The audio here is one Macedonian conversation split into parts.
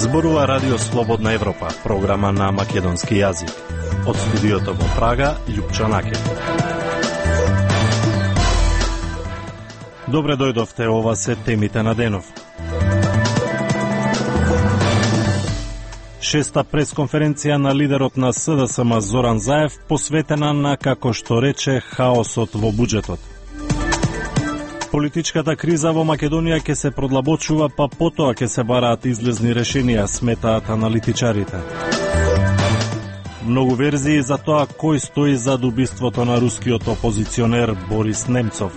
Зборува Радио Слободна Европа, програма на македонски јазик. Од студиото во Прага, Љупчо Накев. Добре дојдовте, ова се темите на денов. Шеста пресконференција на лидерот на СДСМ Зоран Заев посветена на, како што рече, хаосот во буџетот. Политичката криза во Македонија ќе се продлабочува, па потоа ќе се бараат излезни решенија, сметаат аналитичарите. Многу верзии за тоа кој стои зад убиството на рускиот опозиционер Борис Немцов.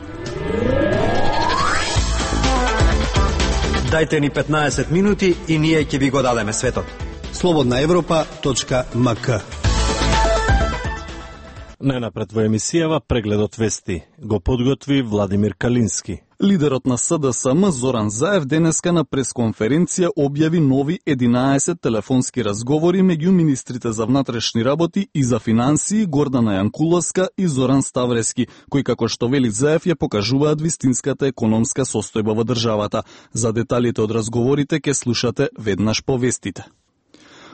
Дајте ни 15 минути и ние ќе ви го дадеме светот. slobodnaevropa.mk. Најнапред во емисијава прегледот вести го подготви Владимир Калински. Лидерот на СДСМ Зоран Заев денеска на пресконференција објави нови 11 телефонски разговори меѓу министрите за внатрешни работи и за финансии Гордана Јанкуловска и Зоран Ставрески, кои, како што вели Заев, ја покажуваат вистинската економска состојба во државата. За деталите од разговорите ќе слушате веднаш по вестите.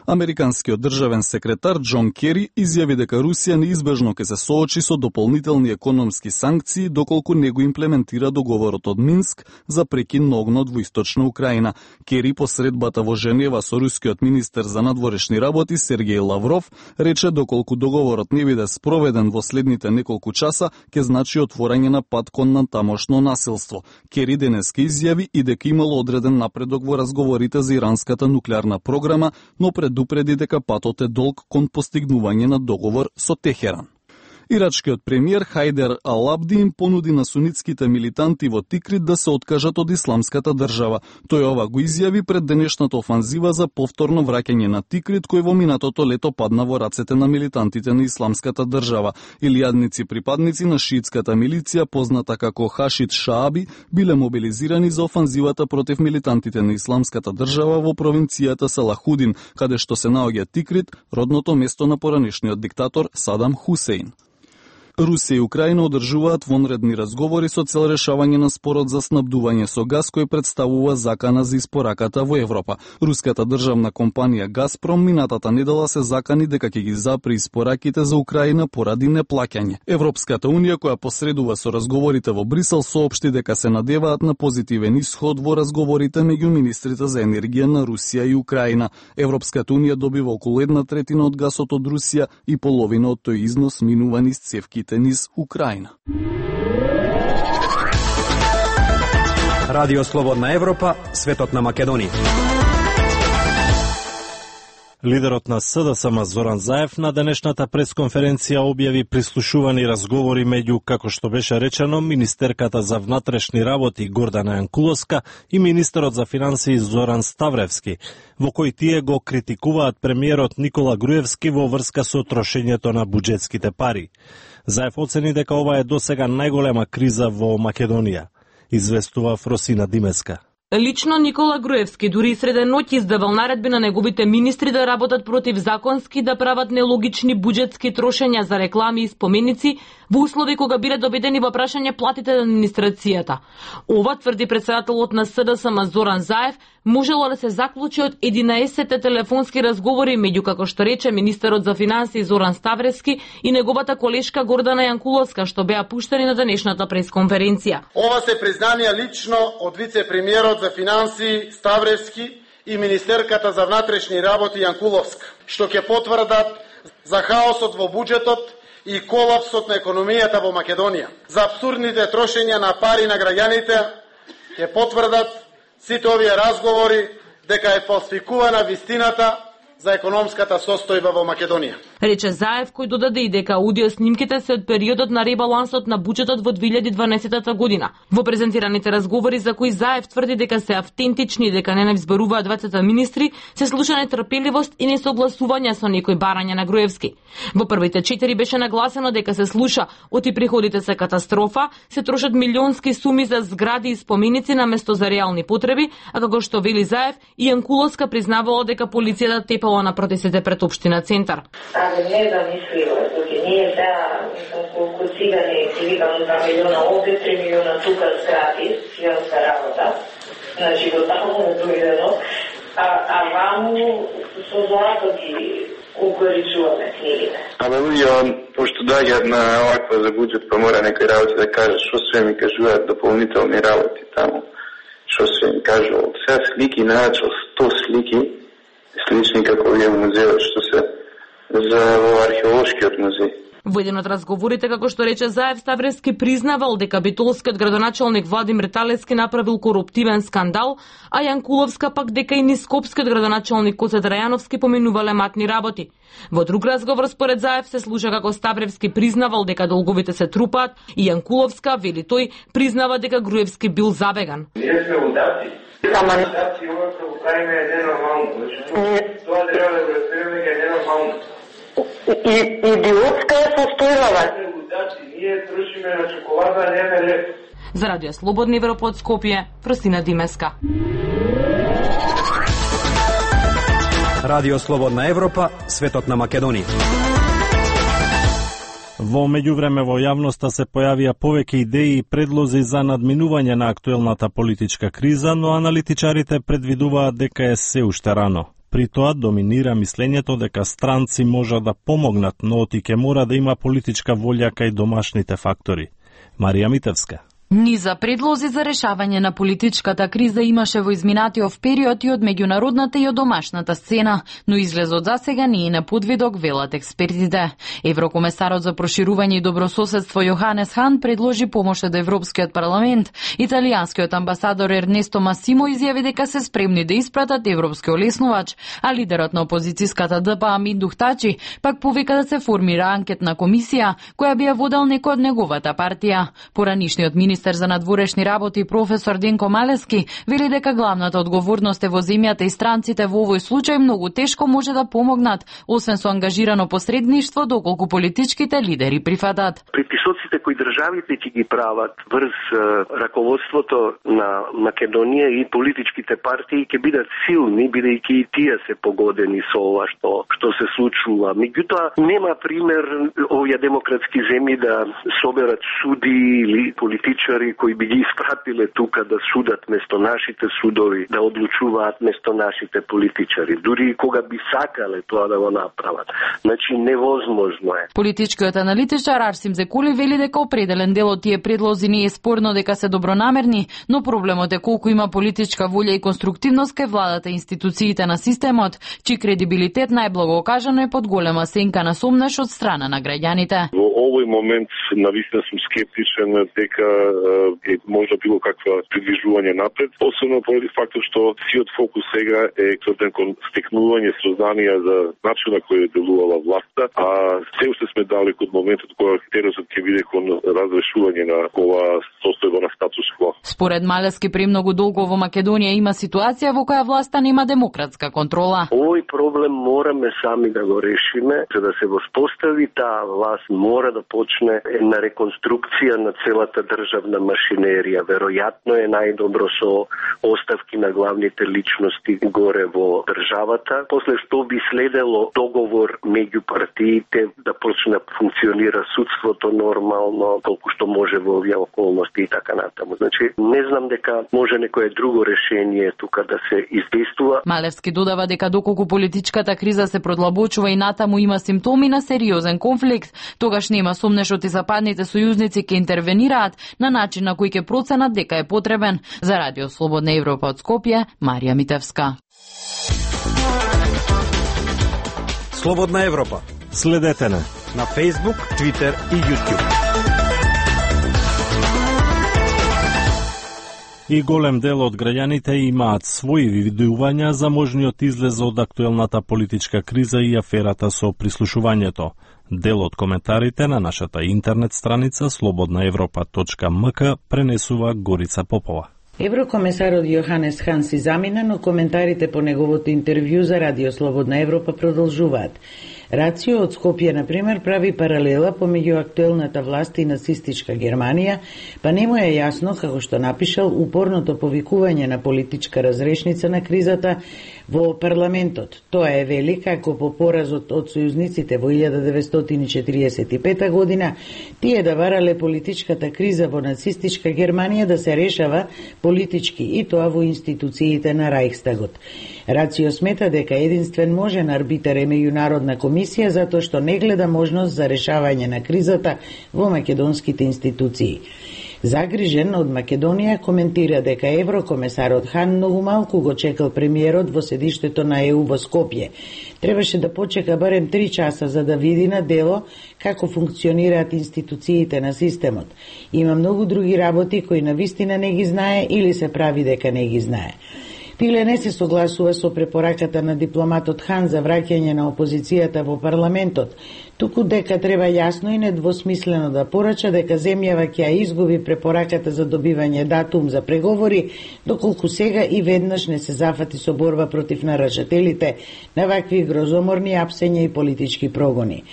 Американскиот државен секретар Џон Кери изјави дека Русија неизбежно ќе се соочи со дополнителни економски санкции доколку не го имплементира договорот од Минск за прекин на огнот во источна Украина. Кери по средбата во Женева со рускиот министер за надворешни работи Сергеј Лавров рече доколку договорот не биде спроведен во следните неколку часа, ќе значи отворање на пат кон натамошно насилство. Кери денеска изјави и дека имало одреден напредок во разговорите за иранската нуклеарна програма, но предупреди дека патот е долг кон постигнување на договор со Техеран. Ирачкиот премиер Хајдер Ал-Абди им понуди на сунитските милитанти во Тикрит да се откажат од исламската држава. Тој ова го изјави пред денешната офанзива за повторно враќање на Тикрит, кој во минатото лето падна во рацете на милитантите на исламската држава. Илијадници припадници на шиитската милиција, позната како Хашид Шааби, биле мобилизирани за офанзивата против милитантите на исламската држава во провинцијата Салахудин, каде што се наоѓа Тикрит, родното место на поранешниот диктатор Садам Хусеин. Русија и Украина одржуваат вонредни разговори со цел решавање на спорот за снабдување со газ кој представува закана за испораката во Европа. Руската државна компанија Газпром минатата недела се закани дека ќе ги запре испораките за Украина поради неплаќање. Европската унија, која посредува со разговорите во Брисел, соопшти дека се надеваат на позитивен исход во разговорите меѓу министрите за енергија на Русија и Украина. Европската унија добива околу 1/3 од гасот од Русија и половина од тој износ минува низ цевките низ Украина. Радио Слободна Европа, светот на Македонија. Лидерот на СДСМ Зоран Заев на денешната пресконференција објави прислушувани разговори меѓу, како што беше речено, министерката за внатрешни работи Гордана Јанкуловска и министерот за финансии Зоран Ставревски, во кои тие го критикуваат премиерот Никола Груевски во врска со трошењето на буџетските пари. Заев оцени дека ова е досега најголема криза во Македонија, известува Фросина Димеска. Лично Никола Груевски дури и среде ноќ издавал наредби на неговите министри да работат противзаконски, да прават нелогични буџетски трошења за реклами и споменици во услови кога биле добедени во прашање платите на администрацијата. Ова, тврди претседателот на СДСМ Зоран Заев, можело да се заклучи од 11 телефонски разговори меѓу, како што рече, министерот за финансии Зоран Ставрески и неговата колешка Гордана Јанкуловска, што беа пуштени на денешната пресконференција. Ова се признанија лично од вице-премиерот за финансии Ставрески и министерката за внатрешни работи Јанкуловска, што ќе потврдат за хаосот во буџетот и колапсот на економијата во Македонија. За апсурдните трошења на пари на граѓаните ќе потврдат сите овие разговори дека е фалсификувана вистината за економската состојба во Македонија. Рече Заев, кој додаде и дека аудиоснимките се од периодот на ребалансот на буџетот во 2012 година. Во презентираните разговори за кои Заев тврди дека се автентични и дека не изберуваат двајцата министри, се слуша нетрпеливост и несогласување со некои барања на Груевски. Во првите 4 беше нагласено дека се слуша оти приходите се катастрофа, се трошат милионски суми за згради и споменици на место за реални потреби, а како што вели Заев, и Јанкуловска признавала дека полицијата тепала на протестите пред општина Центар. Не е замисливо, значи ние сега колку цигани си викам 2 милиона овде, 3 милиона тука гратис, филмска работа, значи до таму дојдено, А ваму со злато ги укоричуваме книгите. Луѓе, пошто доаѓаат на оваква за буџет, па мора некој работи да каже што се ми кажуваат дополнителни работи таму. Што се им кажувал. Сега слики, најачал 100 слики, слични како вие во музеот, што се за археолошкиот музеј. Во еден од разговорите, како што рече Заев, Ставревски признавал дека битолскиот градоначалник Владимир Талевски направил коруптивен скандал, а Јанкуловска пак дека и Нископскиот градоначалник Коце Драјановски поминувале матни работи. Во друг разговор според Заев се слуша како Ставревски признавал дека долговите се трупаат и Јанкуловска, вели тој, признава дека Груевски бил забеган. Ние сме удавци. Удавци, ова што го правиме е ненормално. Тоа треба да го разбереме дека е ненормално. Идиотска е состојбава. Ние трошиме на чоколада, а не на лев. За Радио Слободна Европа од Скопје, Фросина Димеска. Радио Слободна Европа, светот на Македонија. Во меѓувреме во јавноста се појавија повеќе идеи и предлози за надминување на актуелната политичка криза, но аналитичарите предвидуваат дека е се уште рано. При тоа доминира мислењето дека странци можат да помогнат, но ќе мора да има политичка волја кај домашните фактори. Марија Митевска. Низа предлози за решавање на политичката криза имаше во изминатиот период и од меѓународната и од домашната сцена, но излезот за сега не е на подвидок, велат експертите. Еврокомесарот за проширување и добрососедство Јоханес Хан предложи помош од Европскиот парламент. Италијанскиот амбасадор Ернесто Масимо изјави дека се спремни да испратат европски олеснувач, а лидерот на опозицијската ДП Амин Духтачи пак повика да се формира анкетна комисија која би ја водел некој од неговата партија. Поранишниот министер за надворешни работи професор Денко Малески вели дека главната одговорност е во земјата и странците во овој случај многу тешко може да помогнат, освен со ангажирано посредништво доколку политичките лидери прифатат. Притисоците кои државите ќе ги прават врз раководството на Македонија и политичките партии ќе бидат силни, бидејќи и тие се погодени со ова што се случува. Меѓутоа нема пример овие демократски земји да соберат суди или политичари кои би ги испратиле тука да судат место нашите судови, да одлучуваат место нашите политичари, дури и кога би сакале тоа да го направат. Значи невозможно е. Политичкиот аналитичар Арсим Зекули вели дека определен дел од тие предлози не е спорно дека се добронамерни, но проблемот е колку има политичка волја и конструктивност кај владата и институциите на системот, чиј кредибилитет најблаго кажано е под голема сенка на сомнеш од страна на граѓаните. Во овој момент навистина сум скептичен дека е можда било каква придвижување напред, особено поради фактот што сиот фокус сега е тврден кон стекнување сознанија за начинот кој е делувала власта, а се уште сме далеку од моментот кога теророт ќе биде кон разрешување на ова состојба на статус кво. Според Малески, премногу долго во Македонија има ситуација во која власта нема демократска контрола. Овој проблем мораме сами да го решиме, за да се воспостави таа власт мора да почне една реконструкција на целата државна машинерија. Веројатно е најдобро со оставки на главните личности горе во државата. После што би следело договор меѓу партиите да почне да функционира судството нормално, колку што може во овие околности и така натаму. Значи, не знам дека може некое друго решение тука да се издействува. Малевски додава дека доколку политичката криза се продлабочува и натаму има симптоми на сериозен конфликт, тогаш нема сомнеш и западните сојузници ќе интервенираат на начин на кој ќе проценат дека е потребен. За Радио Слободна Европа од Скопје, Марија Митевска. Слободна Европа. Следете на Facebook, Twitter и YouTube. И голем дел од граѓаните имаат своји видувања за можниот излез од актуелната политичка криза и аферата со прислушувањето. Дел од коментарите на нашата интернет страница slobodnaevropa.mk пренесува Горица Попова. Еврокомесарот Јоханес Хан си замина, но коментарите по неговото интервју за Радио Слободна Европа продолжуваат. Рацио од Скопје, например, прави паралела помеѓу актуелната власт и нацистичка Германија, па не му е јасно, како што напишал, упорното повикување на политичка разрешница на кризата во парламентот. Тоа е вели како по поразот од сојузниците во 1945 година, тие да барале политичката криза во нацистичка Германија да се решава политички и тоа во институциите на Рајхстагот. Рацио смета дека единствен можен арбитар е меѓународна комисија затоа што не гледа можност за решавање на кризата во македонските институции. Загрижен од Македонија коментира дека еврокомесарот Хан многу малку го чекал премиерот во седиштето на ЕУ во Скопје. Требаше да почека барем 3 часа за да види на дело како функционираат институциите на системот. Има многу други работи кои навистина не ги знае или се прави дека не ги знае. Пиле не се согласува со препораката на дипломатот Хан за враќање на опозицијата во парламентот, туку дека треба јасно и недвосмислено да порача дека земјава ќе ја изгуби препораката за добивање датум за преговори, доколку сега и веднаш не се зафати со борба против нарушителите на вакви грозоморни апсења и политички прогони.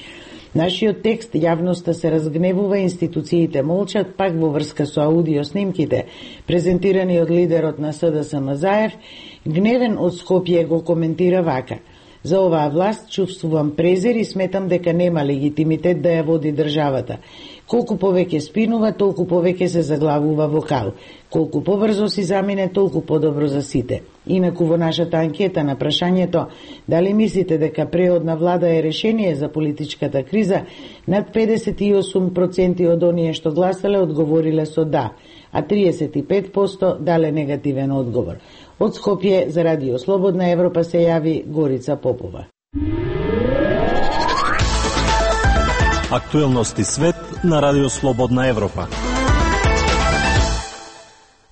Нашиот текст јавноста се разгневува, институциите молчат, пак во врска со аудиоснимките, презентирани од лидерот на СДСМ Заев, гневен од Скопје го коментира вака: за оваа власт чувствувам презир и сметам дека нема легитимитет да ја води државата. Колку повеќе спинува, толку повеќе се заглавува во кал. Колку побрзо си замине, толку подобро за сите. Инаку во нашата анкета на прашањето дали мислите дека преодна влада е решение за политичката криза, над 58% од оние што гласале одговориле со да, а 35% дале негативен одговор. Од Скопје за Радио Слободна Европа се јави Горица Попова. Актуелности свет на Радио Слободна Европа.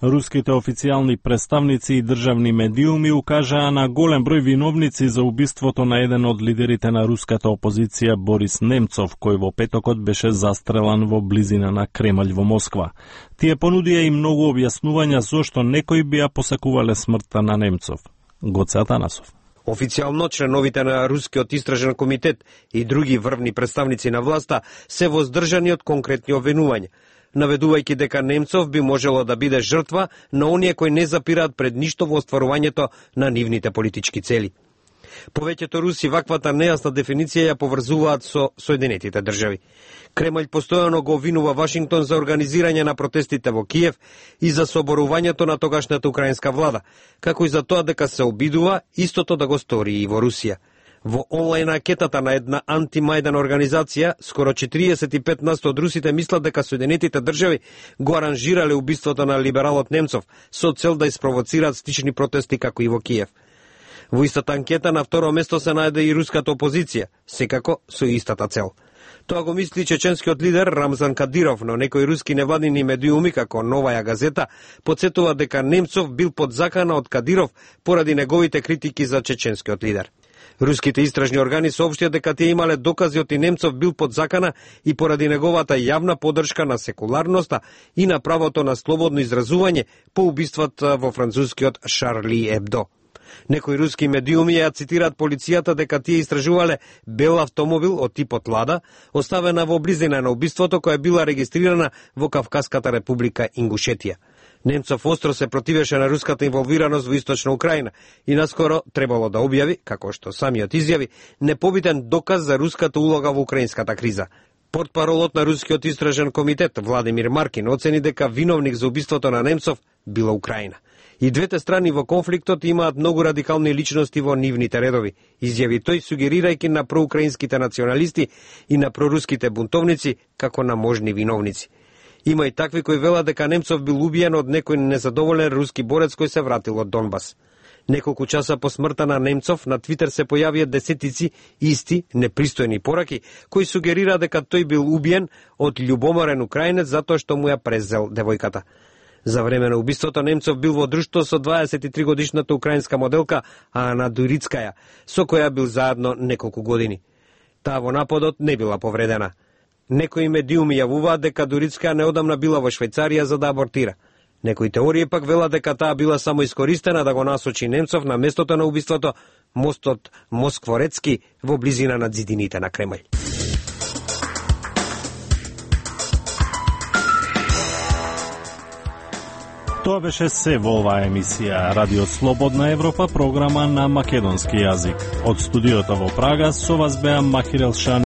Руските официјални представници и државни медиуми укажаа на голем број виновници за убиството на еден од лидерите на руската опозиција Борис Немцов, кој во петокот беше застрелан во близина на Кремљ во Москва. Тие понудија и многу објаснувања зошто некои би ја посакувале смртта на Немцов. Гоце Атанасов. Официјално членовите на Рускиот истражен комитет и други врвни представници на власта се воздржани од конкретни обвинувања, наведувајќи дека Немцов би можело да биде жртва на оние кои не запираат пред ништо во остварувањето на нивните политички цели. Повеќето руси ваквата нејасна дефиниција ја поврзуваат со Соединетите држави. Кремљ постојано го обвинува Вашингтон за организирање на протестите во Киев и за соборувањето на тогашната украинска влада, како и за тоа дека се обидува истото да го стори и во Русија. Во онлайн анкетата на една антимајдан организација, скоро 45% од русите мислат дека Соединетите држави го аранжирале убиството на либералот Немцов со цел да испровоцираат слични протести како и во Киев. Во истата анкета на второ место се најде и руската опозиција, секако со истата цел. Тоа го мисли чеченскиот лидер Рамзан Кадиров, но некои руски невладини медиуми како Новаја газета потсетува дека Немцов бил под закана од Кадиров поради неговите критики за чеченскиот лидер. Руските истражни органи соопштија дека тие имале докази од Немцов бил под закана и поради неговата јавна поддршка на секуларноста и на правото на слободно изразување по убиствата во францускиот Шарли Ебдо. Некои руски медиуми ја цитираат полицијата дека тие истражувале бел автомобил од типот Лада, оставена во близина на убиството која била регистрирана во Кавказската република Ингушетија. Немцов остро се противеше на руската инволвираност во источна Украина и наскоро требало да објави, како што самиот изјави, непобитен доказ за руската улога во украинската криза. Портпаролот на Рускиот истражен комитет Владимир Маркин оцени дека виновник за убиството на Немцов била Украина. И двете страни во конфликтот имаат многу радикални личности во нивните редови, изјави тој сугерирајќи на проукраинските националисти и на проруските бунтовници како на можни виновници. Има и такви кои велат дека Немцов бил убиен од некој незадоволен руски борец кој се вратил од Донбас. Неколку часа по смртта на Немцов на Твитер се појавија десетици исти непристојни пораки кои сугерира дека тој бил убиен од љубоморен украинец затоа што му ја презел девојката. За време на убиството Немцов бил во друштво со 23-годишната украинска моделка Ана Дурицкаја, со која бил заедно неколку години. Таа во нападот не била повредена. Некои медиуми јавуваат дека Дурицкаја неодамна била во Швајцарија за да абортира. Некои теории пак велат дека таа била само искористена да го насочи Немцов на местото на убиството, мостот Москворецки во близина на ѕидините на Кремљ. Тоа беше се во оваа емисија Радио Слободна Европа, програма на македонски јазик. Од студиото во Прага со вас беа Махир Елшан